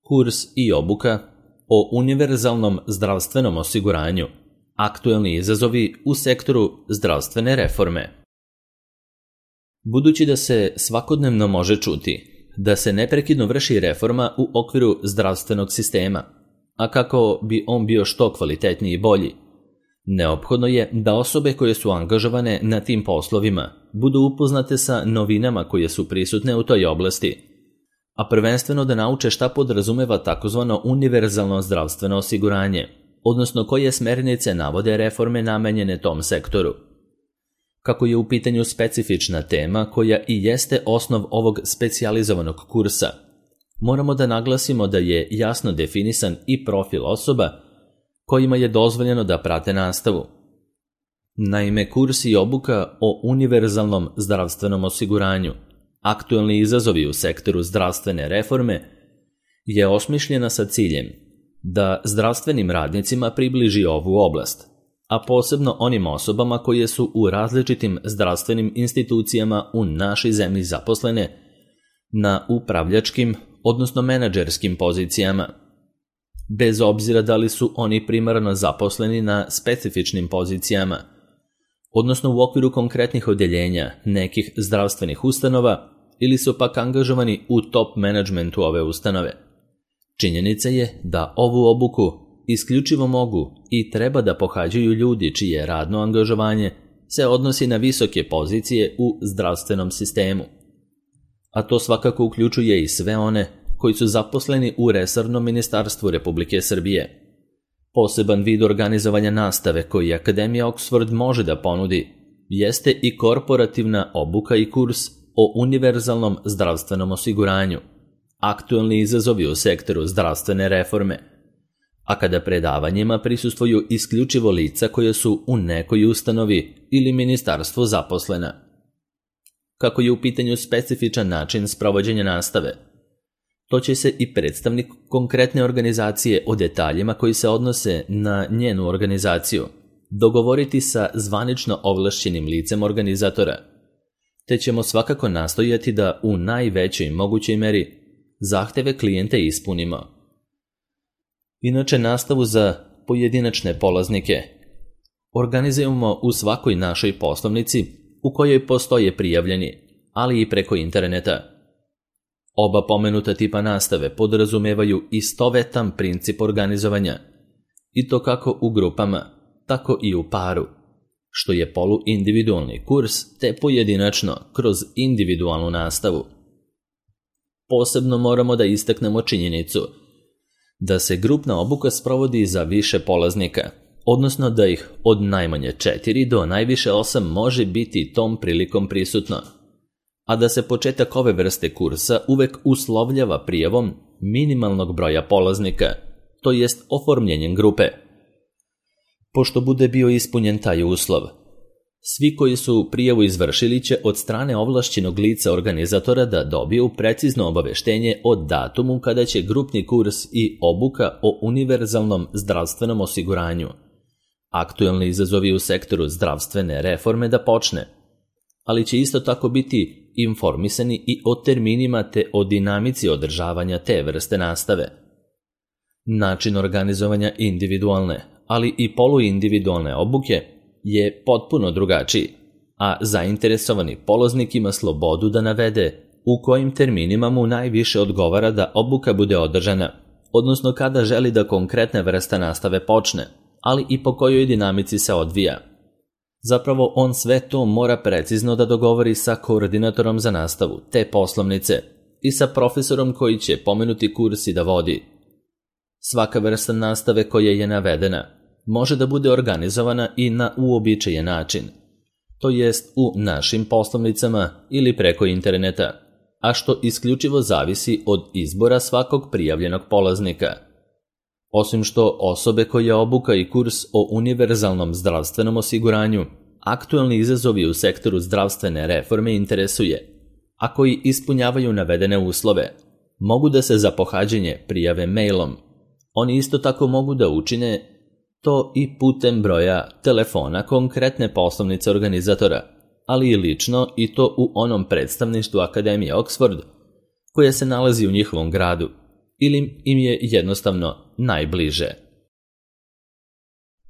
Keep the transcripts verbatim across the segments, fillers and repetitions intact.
Kurs i obuka o univerzalnom zdravstvenom osiguranju. Aktuelni izazovi u sektoru zdravstvene reforme. Budući da se svakodnevno može čuti da se neprekidno vrši reforma u okviru zdravstvenog sistema, a kako bi on bio što kvalitetniji i bolji, neophodno je da osobe koje su angažovane na tim poslovima budu upoznate sa novinama koje su prisutne u toj oblasti, a prvenstveno da nauče šta podrazumeva takozvano univerzalno zdravstveno osiguranje, odnosno koje smernice navode reforme namenjene tom sektoru. Kako je u pitanju specifična tema koja i jeste osnov ovog specijalizovanog kursa, moramo da naglasimo da je jasno definisan i profil osoba kojima je dozvoljeno da prate nastavu. Naime, kurs i obuka o univerzalnom zdravstvenom osiguranju, aktuelni izazovi u sektoru zdravstvene reforme, je osmišljena sa ciljem da zdravstvenim radnicima približi ovu oblast, a posebno onim osobama koje su u različitim zdravstvenim institucijama u našoj zemlji zaposlene na upravljačkim, odnosno menadžerskim pozicijama, bez obzira da li su oni primarno zaposleni na specifičnim pozicijama, odnosno u okviru konkretnih odeljenja nekih zdravstvenih ustanova ili su pak angažovani u top menadžmentu ove ustanove. Činjenica je da ovu obuku isključivo mogu i treba da pohađaju ljudi čije radno angažovanje se odnosi na visoke pozicije u zdravstvenom sistemu. A to svakako uključuje i sve one koji su zaposleni u resornom ministarstvu Republike Srbije. Poseban vid organizovanja nastave koji Akademija Oxford može da ponudi jeste i korporativna obuka i kurs o univerzalnom zdravstvenom osiguranju, aktuelni izazovi u sektoru zdravstvene reforme, a kada predavanjima prisustvuju isključivo lica koje su u nekoj ustanovi ili ministarstvu zaposlena. Kako je u pitanju specifičan način sprovođenja nastave, to će se i predstavnik konkretne organizacije o detaljima koji se odnose na njenu organizaciju dogovoriti sa zvanično ovlašćenim licem organizatora, te ćemo svakako nastojati da u najvećoj mogućoj meri zahteve klijente ispunimo. Inače, nastavu za pojedinačne polaznike organizujemo u svakoj našoj poslovnici u kojoj postoje prijavljeni, ali i preko interneta. Oba pomenuta tipa nastave podrazumevaju istovetan princip organizovanja, i to kako u grupama, tako i u paru, što je poluindividualni kurs te pojedinačno kroz individualnu nastavu. Posebno moramo da istaknemo činjenicu da se grupna obuka sprovodi za više polaznika, odnosno da ih od najmanje četiri do najviše osam može biti tom prilikom prisutno, a da se početak ove vrste kursa uvek uslovljava prijavom minimalnog broja polaznika, to jest oformljenjem grupe. Pošto bude bio ispunjen taj uslov, svi koji su prijavu izvršili će od strane ovlašćenog lica organizatora da dobiju precizno obaveštenje o datumu kada će grupni kurs i obuka o univerzalnom zdravstvenom osiguranju, aktuelni izazovi u sektoru zdravstvene reforme, da počne, ali će isto tako biti informisani i o terminima te o dinamici održavanja te vrste nastave. Način organizovanja individualne, ali i poluindividualne obuke je potpuno drugačiji, a zainteresovani polaznik ima slobodu da navede u kojim terminima mu najviše odgovara da obuka bude održana, odnosno kada želi da konkretna vrsta nastave počne, ali i po kojoj dinamici se odvija. Zapravo on sve to mora precizno da dogovori sa koordinatorom za nastavu te poslovnice i sa profesorom koji će pomenuti kurs i da vodi. Svaka vrsta nastave koja je navedena može da bude organizovana i na uobičajen način, to jest u našim poslovnicama ili preko interneta, a što isključivo zavisi od izbora svakog prijavljenog polaznika. Osim što osobe koje obuka i kurs o univerzalnom zdravstvenom osiguranju, aktuelni izazovi u sektoru zdravstvene reforme interesuje, a koji ispunjavaju navedene uslove, mogu da se za pohađanje prijave mailom. Oni isto tako mogu da učine to i putem broja telefona konkretne poslovnice organizatora, ali i lično, i to u onom predstavništvu Akademije Oxford koja se nalazi u njihovom gradu, ili im je jednostavno najbliže.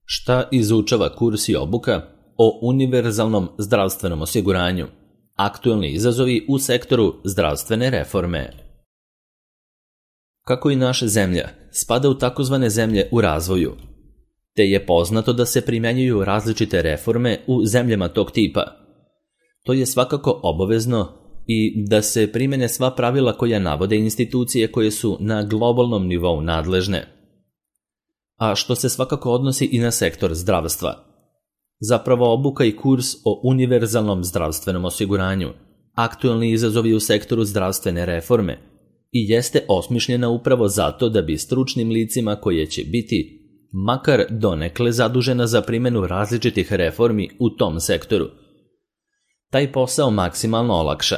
Šta izučava kurs i obuka o univerzalnom zdravstvenom osiguranju? Aktualni izazovi u sektoru zdravstvene reforme. Kako i naša zemlja spada u takozvane zemlje u razvoju, te je poznato da se primjenjuju različite reforme u zemljama tog tipa. To je svakako obavezno i da se primene sva pravila koja navode institucije koje su na globalnom nivou nadležne, a što se svakako odnosi i na sektor zdravstva. Zapravo obuka i kurs o univerzalnom zdravstvenom osiguranju, aktualni izazovi u sektoru zdravstvene reforme, i jeste osmišljena upravo zato da bi stručnim licima koje će biti makar donekle zadužena za primjenu različitih reformi u tom sektoru taj posao maksimalno olakša.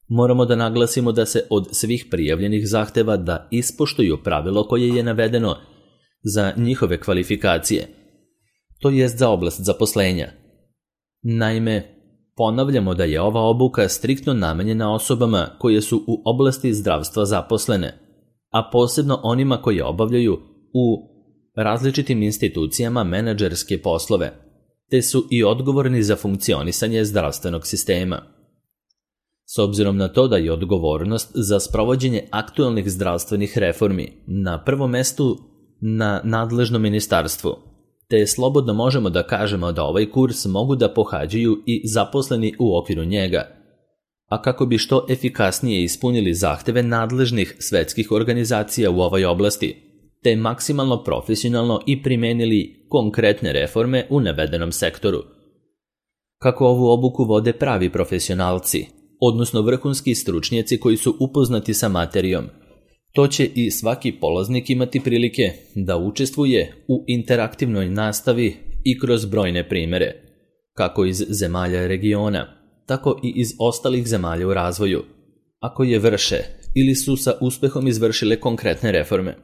Moramo da naglasimo da se od svih prijavljenih zahteva da ispoštuju pravilo koje je navedeno za njihove kvalifikacije, to jest za oblast zaposlenja. Naime, ponavljamo da je ova obuka striktno namenjena osobama koje su u oblasti zdravstva zaposlene, a posebno onima koji obavljaju u različitim institucijama menadžerske poslove, te su i odgovorni za funkcionisanje zdravstvenog sistema. S obzirom na to da je odgovornost za sprovođenje aktualnih zdravstvenih reformi na prvom mestu na nadležnom ministarstvu, te slobodno možemo da kažemo da ovaj kurs mogu da pohađaju i zaposleni u okviru njega, a kako bi što efikasnije ispunili zahteve nadležnih svetskih organizacija u ovoj oblasti, te maksimalno profesionalno i primenili konkretne reforme u navedenom sektoru. Kako ovu obuku vode pravi profesionalci, odnosno vrhunski stručnjaci koji su upoznati sa materijom, to će i svaki polaznik imati prilike da učestvuje u interaktivnoj nastavi i kroz brojne primere, kako iz zemalja regiona, tako i iz ostalih zemalja u razvoju, a koje vrše ili su sa uspehom izvršile konkretne reforme.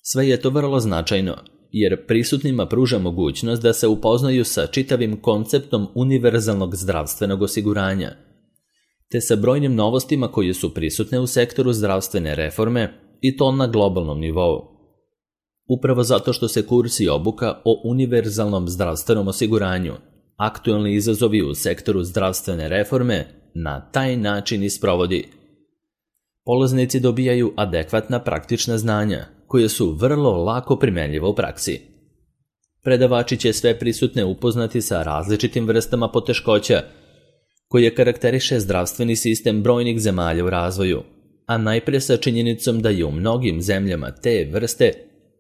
Sve je to vrlo značajno, jer prisutnima pruža mogućnost da se upoznaju sa čitavim konceptom univerzalnog zdravstvenog osiguranja, te sa brojnim novostima koje su prisutne u sektoru zdravstvene reforme i to na globalnom nivou. Upravo zato što se kurs i obuka o univerzalnom zdravstvenom osiguranju, aktualni izazovi u sektoru zdravstvene reforme, na taj način isprovodi. Polaznici dobijaju adekvatna praktična znanja, koje su vrlo lako primenljive u praksi. Predavači će sve prisutne upoznati sa različitim vrstama poteškoća koje karakteriše zdravstveni sistem brojnih zemalja u razvoju, a najpre sa činjenicom da je u mnogim zemljama te vrste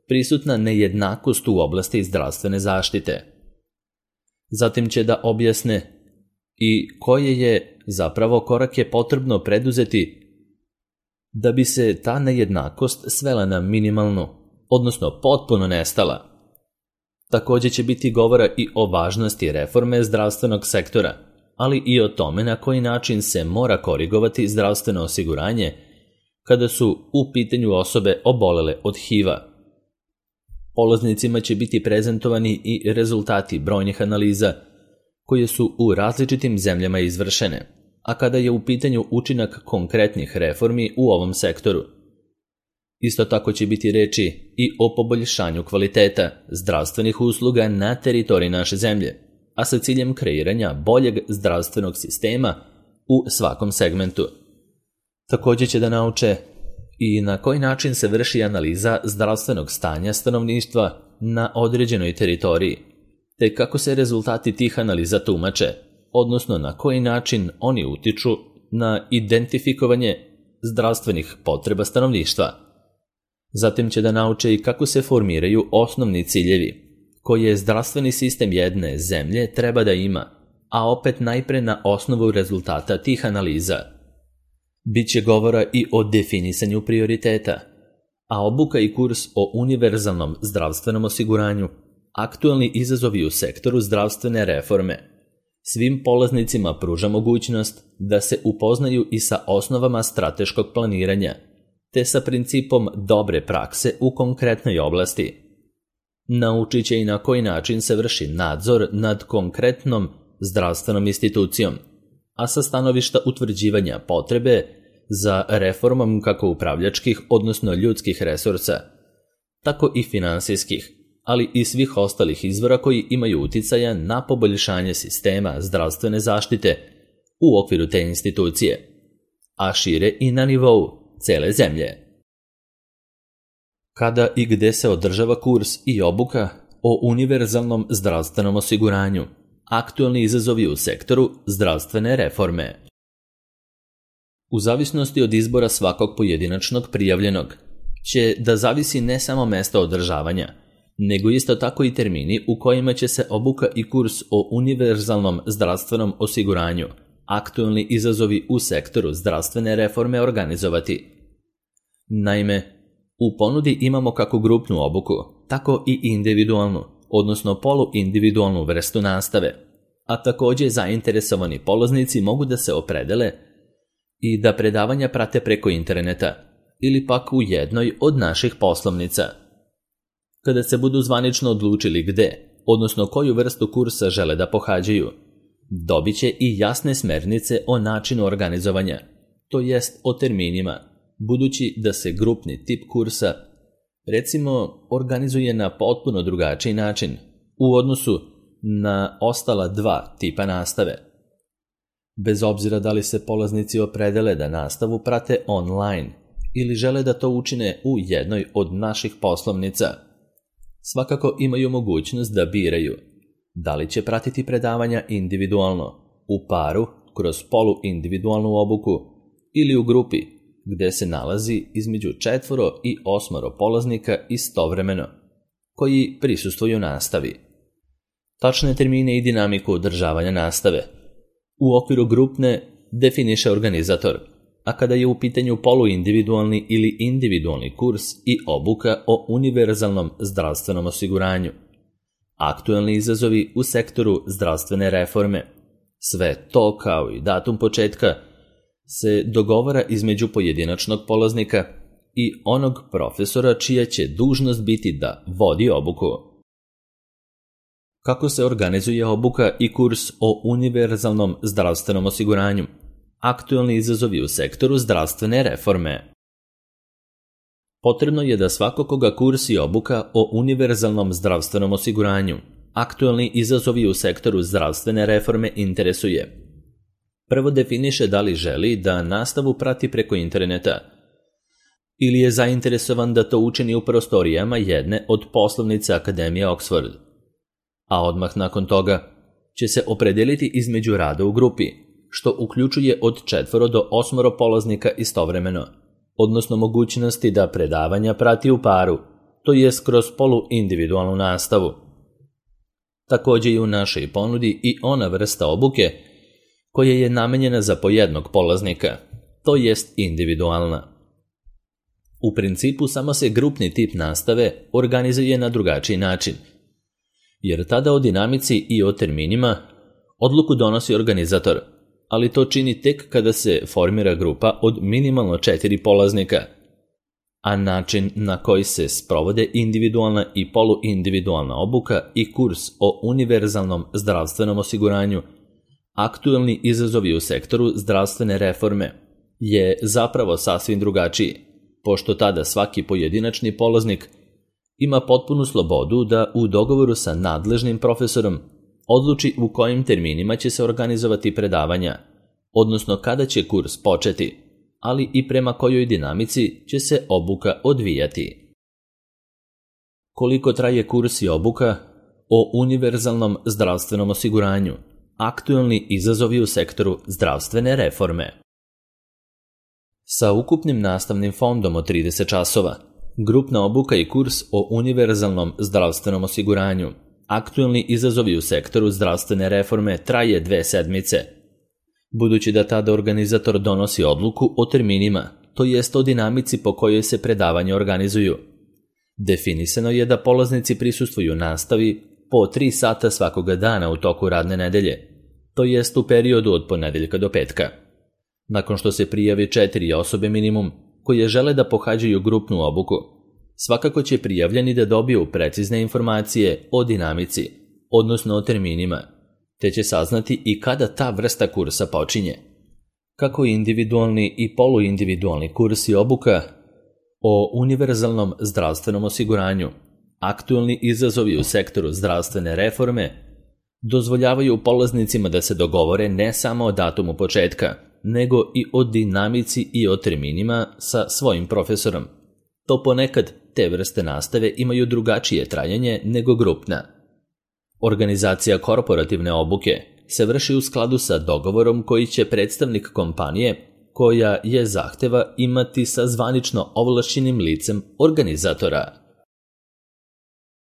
prisutna nejednakost u oblasti zdravstvene zaštite. Zatim će da objasne i koje je zapravo korake potrebno preduzeti da bi se ta nejednakost svela na minimalnu, odnosno potpuno nestala. Također će biti govora i o važnosti reforme zdravstvenog sektora, ali i o tome na koji način se mora korigovati zdravstveno osiguranje kada su u pitanju osobe obolele od H I V-a. Polaznicima će biti prezentovani i rezultati brojnih analiza koje su u različitim zemljama izvršene, a kada je u pitanju učinak konkretnih reformi u ovom sektoru. Isto tako će biti reči i o poboljšanju kvaliteta zdravstvenih usluga na teritoriji naše zemlje, a sa ciljem kreiranja boljeg zdravstvenog sistema u svakom segmentu. Također će da nauče i na koji način se vrši analiza zdravstvenog stanja stanovništva na određenoj teritoriji, te kako se rezultati tih analiza tumače, odnosno na koji način oni utiču na identifikovanje zdravstvenih potreba stanovništva. Zatim će da nauče i kako se formiraju osnovni ciljevi koje zdravstveni sistem jedne zemlje treba da ima, a opet najpre na osnovu rezultata tih analiza. Biće govora i o definisanju prioriteta, a obuka i kurs o univerzalnom zdravstvenom osiguranju, aktualni izazovi u sektoru zdravstvene reforme, svim polaznicima pruža mogućnost da se upoznaju i sa osnovama strateškog planiranja, te sa principom dobre prakse u konkretnoj oblasti. Naučit će i na koji način se vrši nadzor nad konkretnom zdravstvenom institucijom, a sa stanovišta utvrđivanja potrebe za reformom kako upravljačkih, odnosno ljudskih resursa, tako i finansijskih, ali i svih ostalih izvora koji imaju uticaja na poboljšanje sistema zdravstvene zaštite u okviru te institucije, a šire i na nivou cele zemlje. Kada i gde se održava kurs i obuka o univerzalnom zdravstvenom osiguranju, aktualni izazovi u sektoru zdravstvene reforme. U zavisnosti od izbora svakog pojedinačnog prijavljenog, će da zavisi ne samo mesto održavanja, nego isto tako i termini u kojima će se obuka i kurs o univerzalnom zdravstvenom osiguranju, aktualni izazovi u sektoru zdravstvene reforme organizovati. Naime, u ponudi imamo kako grupnu obuku, tako i individualnu, odnosno poluindividualnu vrstu nastave, a također zainteresovani polaznici mogu da se opredele i da predavanja prate preko interneta ili pak u jednoj od naših poslovnica. Kada se budu zvanično odlučili gde, odnosno koju vrstu kursa žele da pohađaju, dobit će i jasne smernice o načinu organizovanja, to jest o terminima, budući da se grupni tip kursa, recimo, organizuje na potpuno drugačiji način u odnosu na ostala dva tipa nastave. Bez obzira da li se polaznici opredele da nastavu prate online ili žele da to učine u jednoj od naših poslovnica, svakako imaju mogućnost da biraju da li će pratiti predavanja individualno, u paru, kroz poluindividualnu obuku ili u grupi, gde se nalazi između četvoro i osmoro polaznika istovremeno, koji prisustvuju nastavi. Tačne termine i dinamiku održavanja nastave u okviru grupne definiše organizator, a kada je u pitanju poluindividualni ili individualni kurs i obuka o univerzalnom zdravstvenom osiguranju, aktualni izazovi u sektoru zdravstvene reforme, sve to kao i datum početka se dogovara između pojedinačnog polaznika i onog profesora čija će dužnost biti da vodi obuku. Kako se organizuje obuka i kurs o univerzalnom zdravstvenom osiguranju? Aktualni izazovi u sektoru zdravstvene reforme. Potrebno je da svako koga kurs i obuka o univerzalnom zdravstvenom osiguranju, aktualni izazovi u sektoru zdravstvene reforme interesuje. Prvo definiše da li želi da nastavu prati preko interneta ili je zainteresovan da to učini u prostorijama jedne od poslovnica Akademije Oxford. A odmah nakon toga će se opredeliti između rada u grupi, što uključuje od četvoro do osmoro polaznika istovremeno, odnosno mogućnosti da predavanja prati u paru, to je kroz poluindividualnu nastavu. Također i u našoj ponudi i ona vrsta obuke koja je namenjena za po jednog polaznika, to jest individualna. U principu samo se grupni tip nastave organizuje na drugačiji način, jer tada o dinamici i o terminima odluku donosi organizator, ali to čini tek kada se formira grupa od minimalno četiri polaznika, a način na koji se sprovode individualna i poluindividualna obuka i kurs o univerzalnom zdravstvenom osiguranju, aktualni izazovi u sektoru zdravstvene reforme, je zapravo sasvim drugačiji, pošto tada svaki pojedinačni polaznik ima potpunu slobodu da u dogovoru sa nadležnim profesorom odluči u kojim terminima će se organizovati predavanja, odnosno kada će kurs početi, ali i prema kojoj dinamici će se obuka odvijati. Koliko traje kurs i obuka o univerzalnom zdravstvenom osiguranju, aktualni izazovi u sektoru zdravstvene reforme. Sa ukupnim nastavnim fondom od trideset časova, grupna obuka i kurs o univerzalnom zdravstvenom osiguranju, aktualni izazovi u sektoru zdravstvene reforme traje dve sedmice. Budući da tada organizator donosi odluku o terminima, to jest o dinamici po kojoj se predavanja organizuju. Definisano je da polaznici prisustvuju nastavi po tri sata svakoga dana u toku radne nedelje, to jest u periodu od ponedeljka do petka. Nakon što se prijavi četiri osobe minimum koje žele da pohađaju grupnu obuku, svakako će prijavljeni da dobiju precizne informacije o dinamici, odnosno o terminima, te će saznati i kada ta vrsta kursa počinje. kako individualni i poluindividualni kursi i obuka o univerzalnom zdravstvenom osiguranju, aktualni izazovi u sektoru zdravstvene reforme, dozvoljavaju polaznicima da se dogovore ne samo o datumu početka, nego i o dinamici i o terminima sa svojim profesorom. To ponekad te vrste nastave imaju drugačije trajanje nego grupna. Organizacija korporativne obuke se vrši u skladu sa dogovorom koji će predstavnik kompanije, koja je zahteva, imati sa zvanično ovlašćenim licem organizatora.